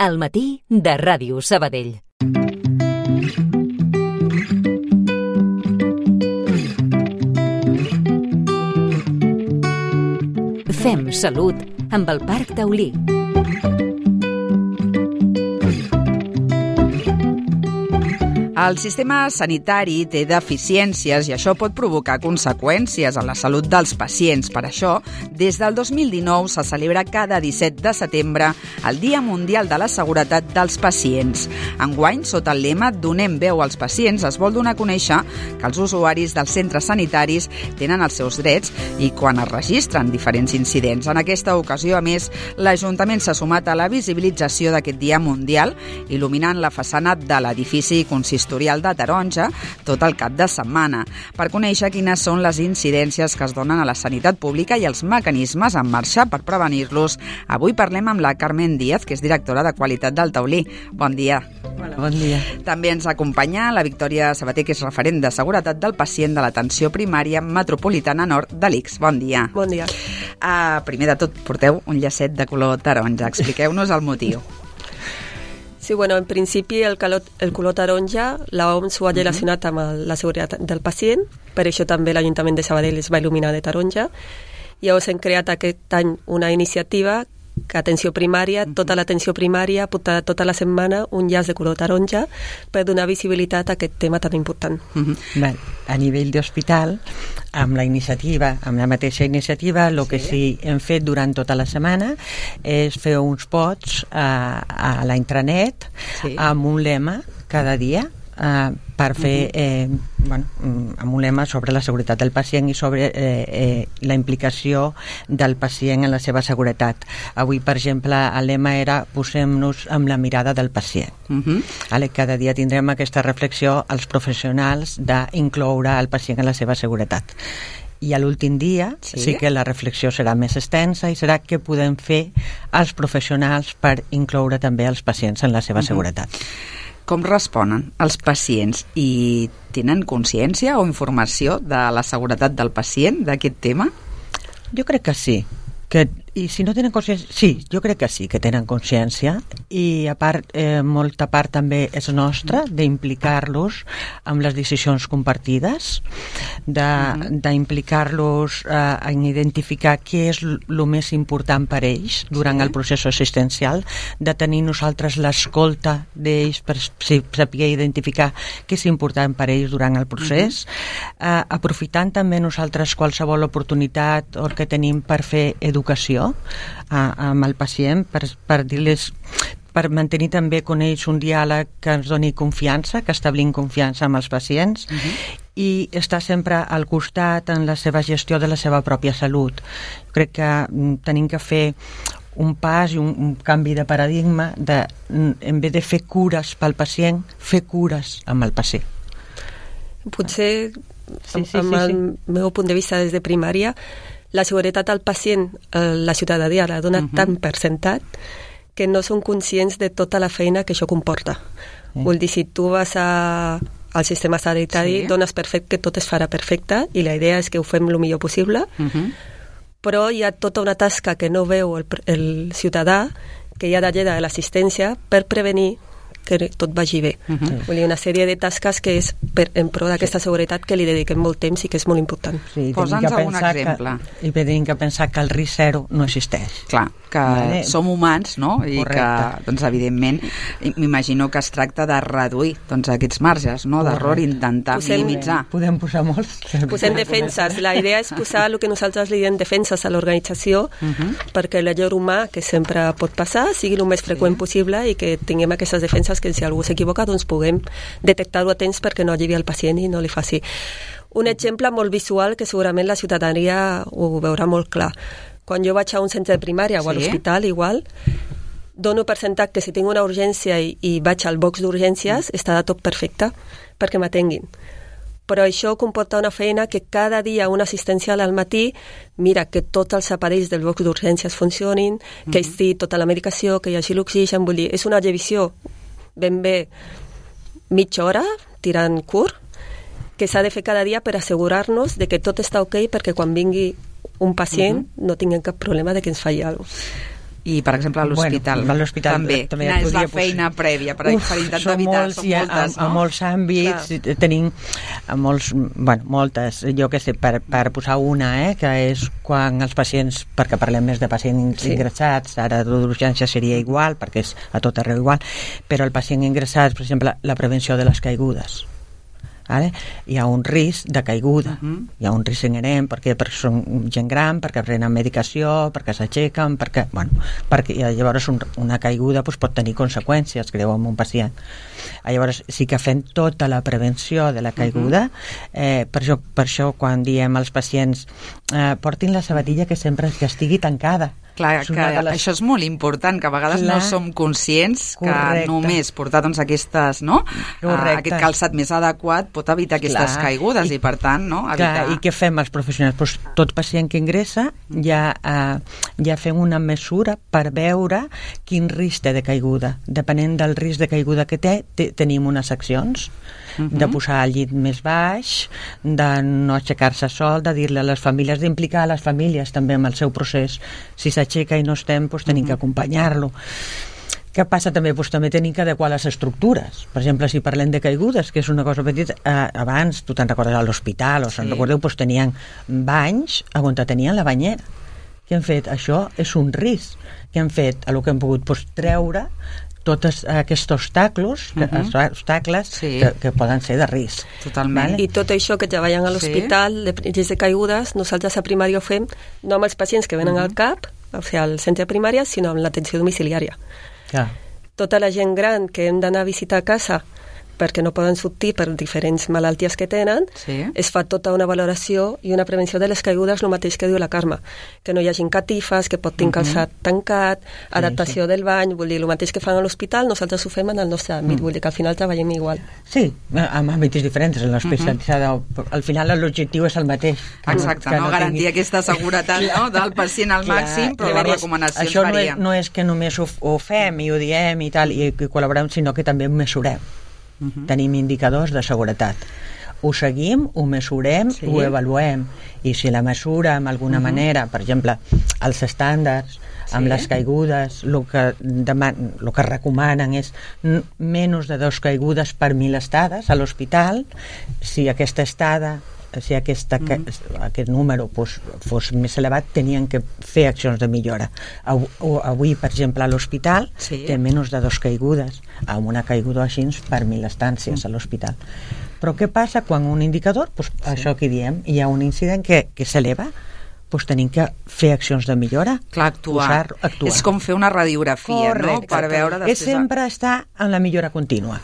Al matí de Ràdio Sabadell. Fem salut amb el Parc Taulí. El sistema sanitari té deficiències i això pot provocar conseqüències a la salut dels pacients. Per això, des del 2019 se celebra cada 17 de setembre el Dia Mundial de la Seguretat dels Pacients. Enguany, sota el lema Donem veu als pacients, es vol donar a conèixer que els usuaris dels centres sanitaris tenen els seus drets i quan es registren diferents incidents. En aquesta ocasió, a més, l'Ajuntament s'ha sumat a la visibilització d'aquest Dia Mundial, il·luminant la façana de l'edifici consistorial de Taronja tot el cap de setmana, per conèixer quines són les incidències que es donen a la sanitat pública i els mecanismes en marxa per prevenir-los. Avui parlem amb la Carmen Díaz, que és directora de Qualitat del Taulí. Bon dia. Hola, bon dia. També ens acompanya la Victòria Sabater, que és referent de seguretat del pacient de l'atenció primària metropolitana nord de l'ICS. Bon dia. Bon dia. Primer de tot, porteu un llacet de color taronja. Expliqueu-nos el motiu. Sí, bueno, en principi el color taronja, l'OMS ho ha relacionat amb la seguretat del pacient, per això també l'Ajuntament de Sabadell es va il·luminar de taronja. Llavors hem creat aquest any una iniciativa que atenció primària, tota l'atenció primària, tota la setmana un llaç de color taronja per donar visibilitat a aquest tema tan important. Bé, a nivell d'hospital, amb la mateixa iniciativa, el que sí hem fet durant tota la setmana és fer uns posts a la intranet amb un lema cada dia per fer amb un lema sobre la seguretat del pacient i sobre la implicació del pacient en la seva seguretat. Avui, per exemple, el lema era posem-nos amb la mirada del pacient. Cada dia tindrem aquesta reflexió als professionals d'incloure el pacient en la seva seguretat. I a l'últim dia sí que la reflexió serà més extensa i serà què podem fer els professionals per incloure també els pacients en la seva seguretat. Com responen els pacients i tenen consciència o informació de la seguretat del pacient, d'aquest tema? Jo crec que sí. I si no tenen consciència, sí, jo crec que sí que tenen consciència i a part, molta part també és nostra d'implicar-los amb les decisions compartides, d'implicar-los en identificar què és el més important per ells durant el procés assistencial, de tenir nosaltres l'escolta d'ells per saber identificar què és important per ells durant el procés, aprofitant també nosaltres qualsevol oportunitat o que tenim per fer educació amb el pacient, per dir-les, per mantenir també con ells un diàleg que ens doni confiança, que establim confiança amb els pacients i estar sempre al costat en la seva gestió de la seva pròpia salut. Crec que tenim que fer un pas i un canvi de paradigma en vez de fer cures pel pacient, fer cures amb el pacient. Potser, amb el meu punt de vista des de primària, la seguretat al pacient, la ciutadania la dona tan per sentat que no són conscients de tota la feina que això comporta. Vull dir, si tu vas al sistema sanitari, dones per fet que tot es farà perfecte i la idea és que ho fem el millor possible, però hi ha tota una tasca que no veu el ciutadà, que hi ha darrere de l'assistència per prevenir que tot vagi bé. Vull dir, una sèrie de tasques que és en pro d'aquesta seguretat que li dediquem molt temps i que és molt important. Posa'ns algun exemple. I tenim que pensar que el risc zero no existeix. Clar, que som humans, no? I que, doncs, evidentment, m'imagino que es tracta de reduir aquests marges, no? D'error, intentar minimitzar. Podem posar molts. Posem defenses. La idea és posar el que nosaltres li diem defenses a l'organització perquè l'error humà, que sempre pot passar, sigui el més freqüent possible i que tinguem aquestes defenses que si algú s'equivoca doncs puguem detectar-ho a temps perquè no arribi al pacient i no li faci. Un exemple molt visual que segurament la ciutadania ho veurà molt clar. Quan jo vaig a un centre de primària o a l'hospital igual, dono per sentat que si tinc una urgència i vaig al box d'urgències està tot perfecte perquè m'atenguin. Però això comporta una feina que cada dia un assistencial al matí mira que tots els aparells del box d'urgències funcionin, que estigui tota la medicació, que hi hagi l'oxigen, vull dir, és una revisió ben bé mitja hora, tirant curt, que s'ha de fer cada dia per assegurar-nos de que tot està ok perquè quan vingui un pacient no tinguem cap problema de que ens falli alguna cosa. I, per exemple, a l'hospital, bueno, a l'hospital també. Quina és la feina prèvia per intentar evitar? Són moltes, no? A molts àmbits, tenim moltes, jo què sé, per posar una, que és quan els pacients, perquè parlem més de pacients ingressats, ara d'urgència seria igual, perquè és a tot arreu igual, però el pacient ingressat, per exemple, la prevenció de les caigudes. Vale? Hi ha un risc de caiguda, hi ha un risc inherent perquè són gent gran, perquè prenen medicació, perquè s'aixequen, perquè llavors una caiguda pot tenir conseqüències greus en un pacient. Llavors sí que fem tota la prevenció de la caiguda. Per això quan diem als pacients portin la sabatilla que sempre que estigui tancada. Clar, que això és molt important, que a vegades no som conscients que només portar aquestes, no? Aquest calçat més adequat pot evitar aquestes caigudes i per tant, no? Evitar... I què fem els professionals? Tot pacient que ingressa ja fem una mesura per veure quin risc té de caiguda. Depenent del risc de caiguda que té, tenim unes accions de posar el llit més baix, de no aixecar-se sol, de dir-li a les famílies, d'implicar a les famílies també en el seu procés. Si s'aixeca i no estem, tenim que acompanyar-lo. Què passa també? També tenim que adequar les estructures. Per exemple, si parlem de caigudes, que és una cosa petita, abans, tu te'n recordes a l'hospital, o se'n recordeu, tenien banys on tenien la banyera. Què hem fet? Això és un risc. Què hem fet? El que hem pogut treure tots aquests obstacles que poden ser de risc. Totalment. I tot això que treballen a l'hospital de risc de caigudes, nosaltres a primària ho fem no amb els pacients que venen al CAP, o sigui, al centre primària, sinó amb l'atenció domiciliària. Tota la gent gran que hem d'anar a visitar a casa perquè no poden sortir per diferents malalties que tenen, es fa tota una valoració i una prevenció de les caigudes, el mateix que diu la Carme, que no hi hagin catifes, que pot tenir calçat tancat, adaptació del bany, vull dir, el mateix que fan a l'hospital, nosaltres ho fem en el nostre àmbit, vull dir que al final treballem igual. Sí, amb àmbits diferents, en l'especialitzada, al final l'objectiu és el mateix. Exacte, no garantir aquesta seguretat del pacient al màxim, però les recomanacions varien. Això no és que només ho fem i ho diem i tal, i col·laborem, sinó que també ho mesurem. Tenim indicadors de seguretat. Ho seguim, ho mesurem, ho avaluem. I si la mesura, d'alguna manera, per exemple, els estàndards, amb les caigudes, el que recomanen és menys de 2 caigudes per 1.000 estades a l'hospital. Si aquesta estada, si aquest número fos més elevat, tenien que fer accions de millora. Avui, per exemple, a l'hospital té menys de 2 caigudes, amb una caiguda així per 1.000 estàncies a l'hospital. Però què passa quan un indicador, això que diem, hi ha un incident que s'eleva, tenim que fer accions de millora. Clar, actuar. És com fer una radiografia, no? Per veure després... És sempre estar en la millora contínua.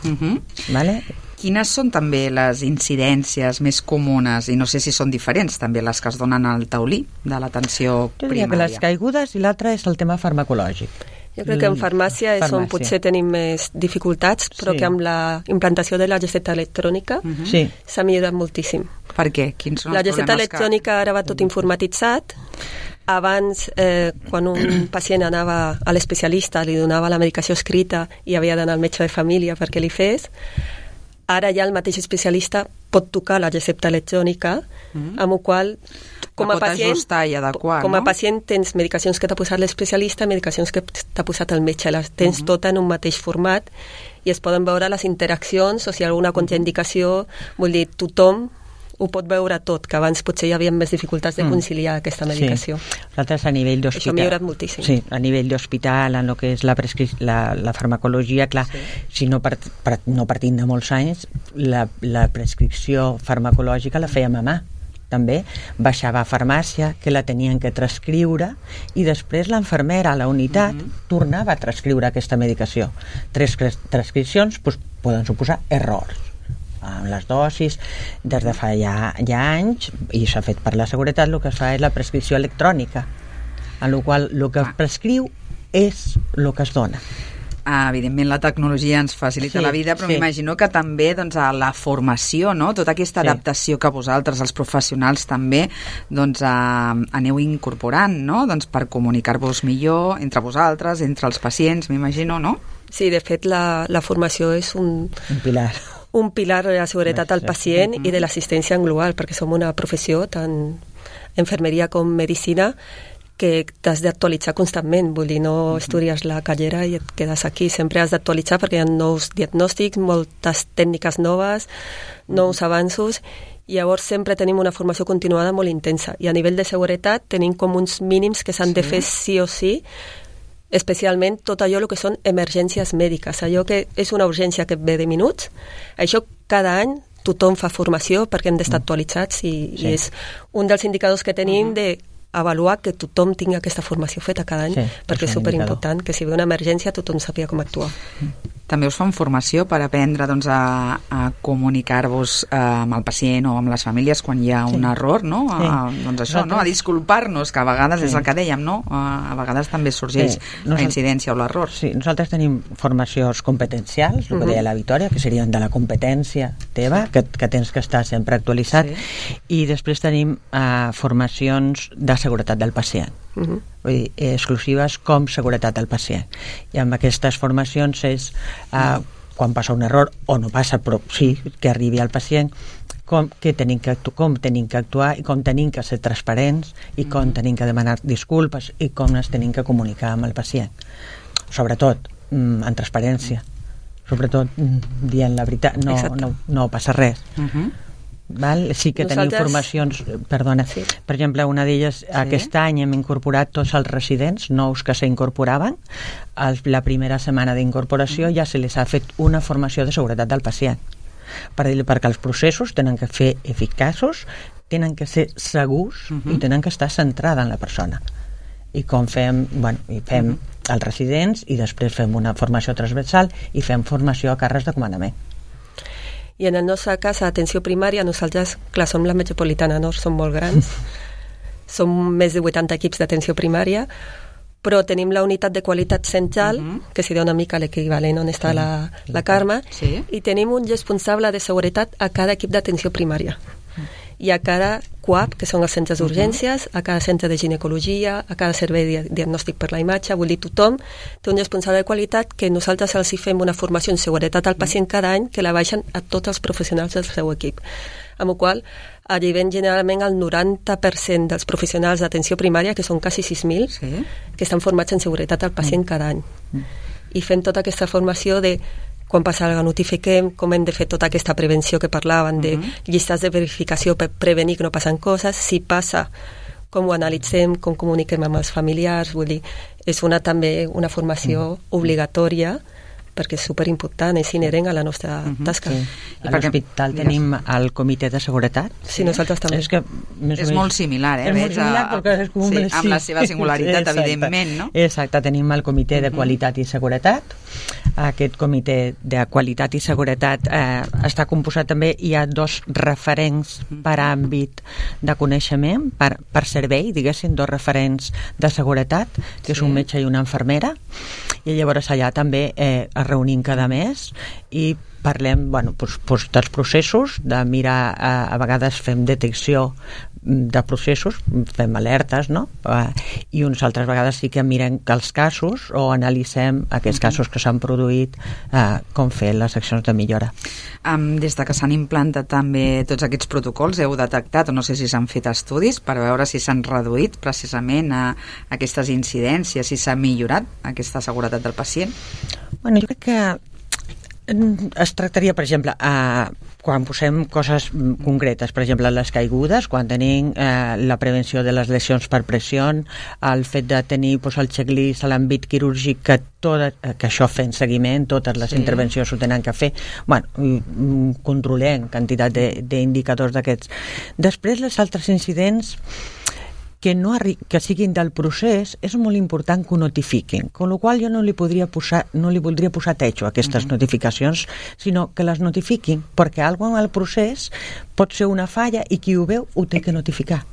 Vale? Quines són també les incidències més comunes, i no sé si són diferents també les que es donen al taulí de l'atenció primària? Jo diria que les caigudes i l'altre és el tema farmacològic. Jo crec que en farmàcia és on potser tenim més dificultats, però que amb la implantació de la recepta electrònica s'ha millorat moltíssim. Per què? Quins són els problemes? La recepta electrònica ara va tot informatitzat. Abans, quan un pacient anava a l'especialista, li donava la medicació escrita i havia d'anar al metge de família perquè li fes. Ara ja el mateix especialista pot tocar la recepta electrònica, amb el qual com a pacient tens medicacions que t'ha posat l'especialista, medicacions que t'ha posat el metge, les tens tota en un mateix format i es poden veure les interaccions o si hi ha alguna contraindicació, vull dir, tothom ho pot veure tot, que abans potser hi havia més dificultats de conciliar aquesta medicació. Nosaltres a nivell d'hospital... Això ha millorat moltíssim. Sí, a nivell d'hospital, en el que és la farmacologia, clar, si no partint de molts anys, la prescripció farmacològica la fèiem a mà. També baixava a farmàcia, que la tenien que transcriure, i després l'infermera a la unitat tornava a transcriure aquesta medicació. 3 transcripcions poden suposar errors amb les dosis. Des de fa ja anys, i s'ha fet per la seguretat, el que es fa és la prescripció electrònica, en la qual el que es prescriu és el que es dona. Evidentment la tecnologia ens facilita la vida, però m'imagino que també a la formació, no? Tota aquesta adaptació que vosaltres, els professionals, també aneu incorporant, no? Per comunicar-vos millor entre vosaltres, entre els pacients, m'imagino, no? Sí, de fet la formació és un pilar de la seguretat al pacient i de l'assistència en global, perquè som una professió, tant infermeria com medicina, que t'has d'actualitzar constantment, vull dir, no estudies la carrera i et quedes aquí, sempre has d'actualitzar perquè hi ha nous diagnòstics, moltes tècniques noves, nous avanços, i llavors sempre tenim una formació continuada molt intensa, i a nivell de seguretat tenim com uns mínims que s'han de fer sí o sí, especialment tot allò que són emergències mèdiques, allò que és una urgència que ve de minuts, això cada any tothom fa formació perquè hem d'estar actualitzats i és un dels indicadors que tenim de avaluar que tothom tingui aquesta formació feta cada any, perquè és superimportant que si ve una emergència tothom sàpiga com actuar. També us fan formació per aprendre doncs, a comunicar-vos amb el pacient o amb les famílies quan hi ha un error, no? Doncs això, no? A disculpar-nos, que a vegades és el que dèiem, no? A vegades també sorgeix la incidència o l'error. Sí, nosaltres tenim formacions competencials, el que deia la Victòria, que serien de la competència teva, que tens que estar sempre actualitzat, i després tenim formacions de seguretat del pacient. Vull dir, exclusives com seguretat del pacient. I amb aquestes formacions és quan passa un error, o no passa, però sí que arribi al pacient, com tenim que actuar i com tenim que ser transparents i com tenim que demanar disculpes i com ens tenim que comunicar amb el pacient. Sobretot, en transparència. Sobretot, dient la veritat. No passa res. Val? Sí que tenim formacions, perdona, per exemple, una d'elles aquest any hem incorporat tots els residents nous que s'incorporaven, la primera setmana d'incorporació ja se les ha fet una formació de seguretat del pacient, perquè els processos tenen que ser eficaços, tenen que ser segurs i tenen que estar centrada en la persona. I com fem els residents i després fem una formació transversal i fem formació a càrrecs de comandament. I en el nostre cas, a atenció primària, nosaltres, clar, som la Metropolitana Nord, som molt grans, som més de 80 equips d'atenció primària, però tenim la unitat de qualitat central, que seria una mica l'equivalent on està la Carme, i tenim un responsable de seguretat a cada equip d'atenció primària. I a cada CUAP, que són els centres d'urgències, a cada centre de ginecologia, a cada servei de diagnòstic per la imatge, vull dir, tothom té un responsable de qualitat que nosaltres els hi fem una formació en seguretat al pacient cada any que la baixen a tots els professionals del seu equip. Amb la qual arribem generalment al 90% dels professionals d'atenció primària, que són quasi 6.000, que estan formats en seguretat al pacient cada any. I fem tota aquesta formació de quan passa alguna cosa notifiquem, com hem de fer tota aquesta prevenció que parlaven de llistes de verificació per prevenir que no passen coses, si passa, com ho analitzem, com comuniquem amb els familiars, vull dir, és també una formació obligatòria perquè és superimportant, és inherent a la nostra tasca. A l'hospital tenim el comitè de seguretat. Sí, nosaltres també. És molt similar, És molt similar perquè és com amb la seva singularitat, evidentment, no? Exacte, tenim el comitè de qualitat i seguretat. Aquest comitè de qualitat i seguretat està composat també, hi ha 2 referents per àmbit de coneixement, per servei, diguéssim, 2 referents de seguretat, que és un metge i una infermera, i llavors allà també es reunim cada mes i parlem dels processos, de mirar, a vegades fem detecció de processos, fem alertes, no? I unes altres vegades sí que mirem els casos o analitzem aquests casos que s'han produït, com fer les accions de millora. Des de que s'han implantat també tots aquests protocols, heu detectat, o no sé si s'han fet estudis per veure si s'han reduït precisament aquestes incidències, si s'ha millorat aquesta seguretat del pacient? Bueno, jo crec que es tractaria, per exemple, quan posem coses concretes, per exemple, les caigudes, quan tenim la prevenció de les lesions per pressió, el fet de tenir el checklist a l'àmbit quirúrgic, que això fent seguiment, totes les intervencions ho tenen que fer, controlem quantitat d'indicadors d'aquests. Després, els altres incidents que siguin del procés, és molt important que ho notifiquin, amb la qual jo no li voldria posar techo a aquestes notificacions, sinó que les notifiquin, perquè alguna cosa en el procés pot ser una falla i qui ho veu ho té que notificar.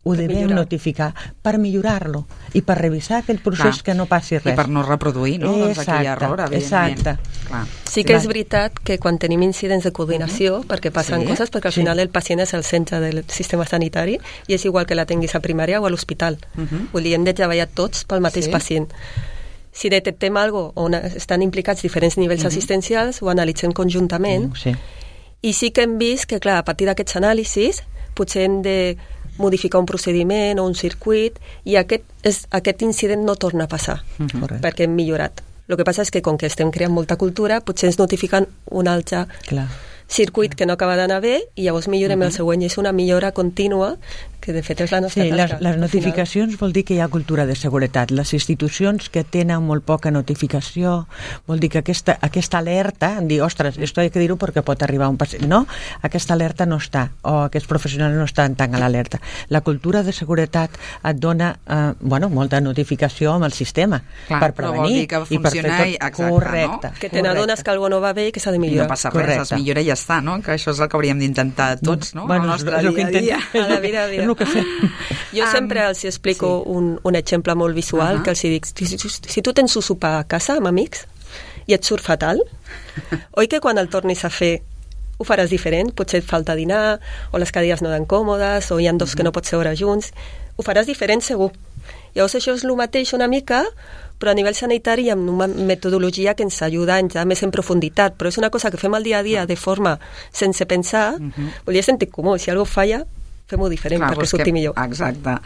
Ho devem notificar per millorar-lo i per revisar aquell procés que no passi res. I per no reproduir, no? Aquell error, evidentment. Sí que és veritat que quan tenim incidents de coordinació, perquè passen coses, perquè al final el pacient és el centre del sistema sanitari i és igual que la tinguis a primària o a l'hospital. Vull dir, hem de treballar tots pel mateix pacient. Si detectem alguna cosa on estan implicats diferents nivells assistencials, ho analitzem conjuntament i sí que hem vist que, clar, a partir d'aquests anàlisis potser hem de modificar un procediment o un circuit, i aquest incident no torna a passar, perquè hem millorat. El que passa és que, com que estem creant molta cultura, potser ens notifiquen un altre circuit que no acaba d'anar bé i llavors millorem el següent, i és una millora contínua que de fet és la nostra tasca. Les notificacions vol dir que hi ha cultura de seguretat. Les institucions que tenen molt poca notificació vol dir que aquesta alerta, dir, ostres, esto hay que dir-ho perquè pot arribar un pacient. No, aquesta alerta no està, o aquests professionals no estan tan a l'alerta. La cultura de seguretat et dona molta notificació amb el sistema per prevenir que i per fer tot correcte. Que te n'adones que alguna no va bé i que s'ha de millorar. No passa res, es millora i ja està, no? Que això és el que hauríem d'intentar tots, no? Al nostre dia a dia. A la vida a dia. Jo sempre els explico un exemple molt visual, que els dic, si tu tens un sopar a casa amb amics i et surt fatal, oi que quan el tornis a fer ho faràs diferent? Potser et falta dinar, o les cadires no dan còmodes, o hi ha dos que no pots seure junts. Ho faràs diferent segur. Llavors això és el mateix una mica, però a nivell sanitari amb una metodologia que ens ajuda a entrar més en profunditat, però és una cosa que fem al dia a dia de forma sense pensar, vol dir sentit comú, si alguna cosa falla fem-ho diferent perquè surti millor. Exacte.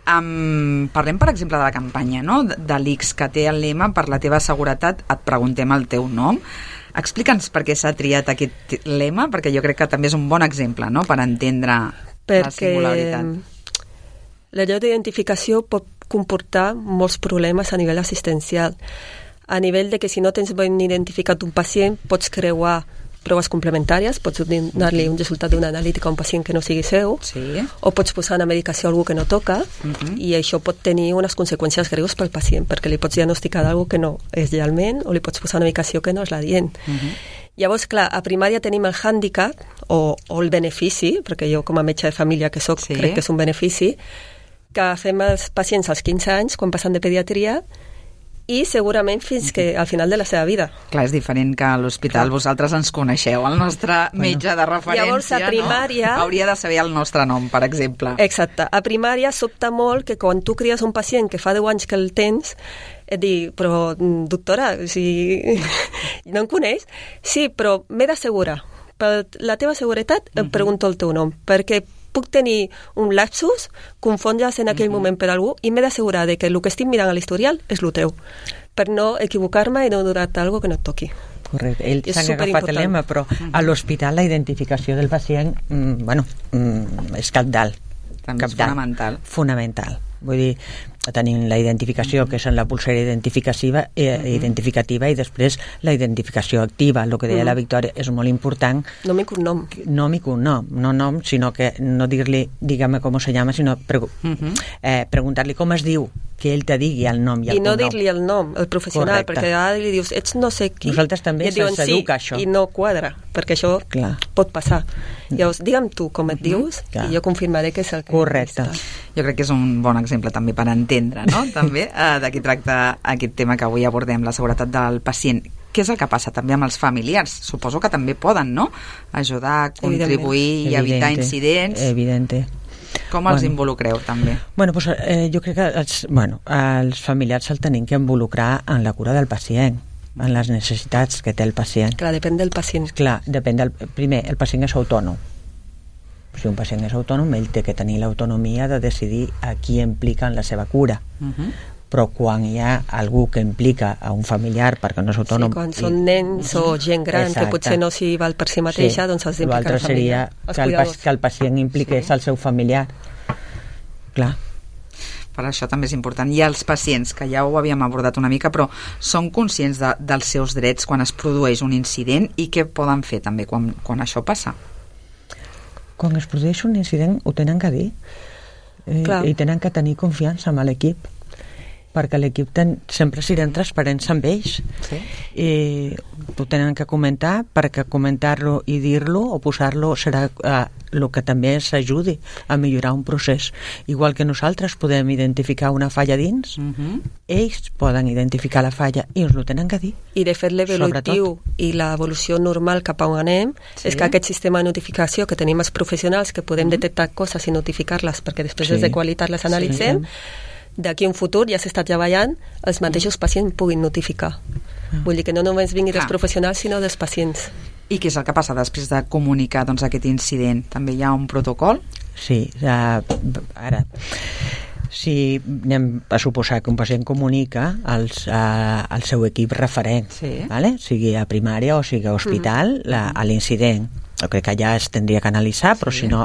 Parlem, per exemple, de la campanya, no? De l'ICS, que té el lema "Per la teva seguretat et preguntem el teu nom". Explica'ns per què s'ha triat aquest lema, perquè jo crec que també és un bon exemple, no?, per entendre la singularitat. La llei d'identificació pot comportar molts problemes a nivell assistencial. A nivell de que si no tens ben identificat un pacient, pots creuar proves complementàries, pots donar-li un resultat d'una analítica a un pacient que no sigui seu, o pots posar una medicació a algú que no toca, i això pot tenir unes conseqüències greus pel pacient, perquè li pots diagnosticar d'algú que no és realment, o li pots posar una medicació que no és la dient. Llavors, clar, a primària tenim el hàndicap, o el benefici, perquè jo com a metge de família que soc, crec que és un benefici, que fem els pacients als 15 anys, quan passen de pediatria, i segurament fins que al final de la seva vida. Clar, és diferent que a l'hospital vosaltres ens coneixeu, el nostre metge de referència. Llavors, a primària... No? Hauria de saber el nostre nom, per exemple. Exacte. A primària sobta molt que quan tu cries un pacient que fa 10 anys que el tens, et dic, però doctora, si no em coneix? Sí, però m'he d'assegurar. Per la teva seguretat em pregunto el teu nom, perquè puc tenir un lapsus, confondre's en aquell moment per algú, i m'he d'assegurar que el que estic mirant a l'historial és el teu, per no equivocar-me i no donar-te alguna que no et toqui. Correcte, ells s'han agafat el lema, però a l'hospital la identificació del pacient, és cabdal. També és fonamental. Fonamental. Vull dir, tenim la identificació, que és en la pulsera identificativa, i després la identificació activa. El que deia la Victòria és molt important. Nom i cognom. Nom i cognom, no nom, sinó que no dir-li, dígame com se llama, sinó preguntar-li com es diu, que ell te digui el nom i el cognom. I no dir-li el nom, el professional, perquè ara li dius, ets no sé qui. Nosaltres també se'ns educa això. I no quadra, perquè això pot passar. Llavors, digue'm tu com et dius i jo confirmaré que és el que... Correcte. Jo crec que és un bon exemple també per entendre, no?, també de què tracta aquest tema que avui abordem, la seguretat del pacient. Què és el que passa també amb els familiars? Suposo que també poden, no?, ajudar, contribuir i evitar incidents. Evidente. Com els involucreu, també? Jo crec que els familiars el tenim que involucrar en la cura del pacient, en les necessitats que té el pacient. Clar, depèn del pacient. Clar, depèn del... Primer, el pacient és autònom. Si un pacient és autònom, ell té que tenir l'autonomia de decidir a qui implica en la seva cura. Però quan hi ha algú que implica a un familiar perquè no és autònom... Sí, quan són nens o gent gran que potser no s'hi val per si mateixa, doncs has d'implicar la família. L'altre seria que el pacient impliqués el seu familiar. Clar. Per això també és important. I els pacients, que ja ho havíem abordat una mica, però són conscients dels seus drets quan es produeix un incident i què poden fer també quan això passa? Quan es produeix un incident ho tenen que dir i tenen que tenir confiança amb l'equip, perquè l'equip sempre siguin transparents amb ells i ho tenen que comentar, perquè comentar-lo i dir-lo o posar-lo serà el que també s'ajudi a millorar un procés. Igual que nosaltres podem identificar una falla dins, ells poden identificar la falla i ens ho tenen que dir. I de fet l'evolutiu i l'evolució normal cap a on anem és que aquest sistema de notificació que tenim els professionals, que podem detectar coses i notificar-les perquè després des de qualitat les analitzem, d'aquí a un futur ja s'està treballant els mateixos pacients puguin notificar. Vull dir que no només vingui dels professionals sinó dels pacients. I què és el que passa després de comunicar aquest incident? També hi ha un protocol? sí. Ara, si anem a suposar que un pacient comunica al seu equip referent, vale? Sigui a primària o sigui a hospital, a l'incident, jo crec que ja es tindria que analitzar, però si no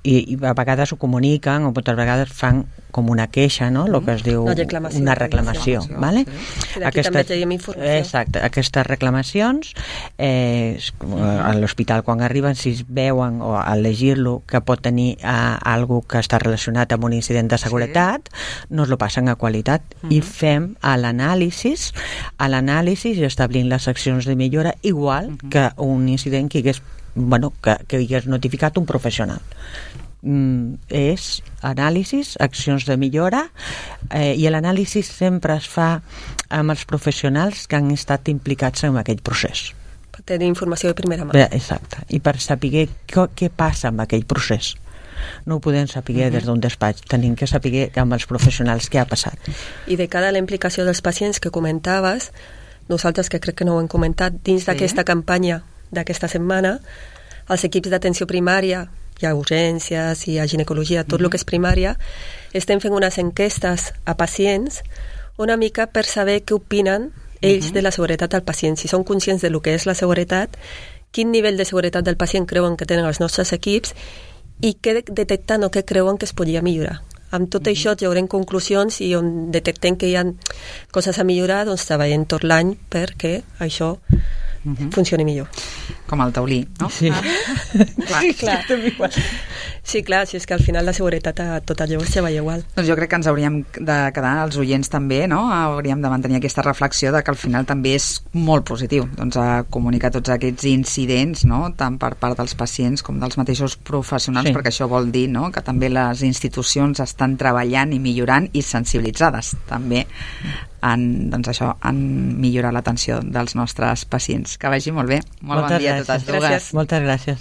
i a vegades ho comuniquen o moltes vegades fan com una queixa, no? El que es diu una reclamació, vale? Sí, d'aquí també tenim informació. Exacte, aquestes reclamacions a l'hospital quan arriben, si es veuen o al llegir-lo que pot tenir algo que està relacionat amb un incident de seguretat, nos lo passen a qualitat i fem l'anàlisi i establint les accions de millora igual que un incident que hagués notificat un professional. És anàlisis, accions de millora, i l'anàlisi sempre es fa amb els professionals que han estat implicats en aquell procés. Per tenir informació de primera mà. Exacte, i per saber què passa amb aquell procés. No ho podem saber des d'un despatx, tenim que saber amb els professionals què ha passat. I de cara a la implicació dels pacients que comentaves, nosaltres, que crec que no ho hem comentat, dins d'aquesta campanya d'aquesta setmana, els equips d'atenció primària, hi ha urgències, hi ha ginecologia, tot el que és primària, estem fent unes enquestes a pacients una mica per saber què opinen ells de la seguretat del pacient, si són conscients de lo que és la seguretat, quin nivell de seguretat del pacient creuen que tenen els nostres equips i què detecten o què creuen que es podria millorar. Amb tot això traurem conclusions i on detectem que hi ha coses a millorar, doncs treballem tot l'any perquè això funcioni millor. Com el taulí, no? Sí. Clar. Sí, clar, si és que al final la seguretat a tot allò es treballa igual. Doncs jo crec que ens hauríem de quedar, els oients també, no? Hauríem de mantenir aquesta reflexió de que al final també és molt positiu, doncs, a comunicar tots aquests incidents, no? Tant per part dels pacients com dels mateixos professionals, perquè això vol dir, no?, que també les institucions estan treballant i millorant i sensibilitzades també en millorar l'atenció dels nostres pacients. Que vagi molt bé. Molt bon dia a totes dues. Moltes gràcies.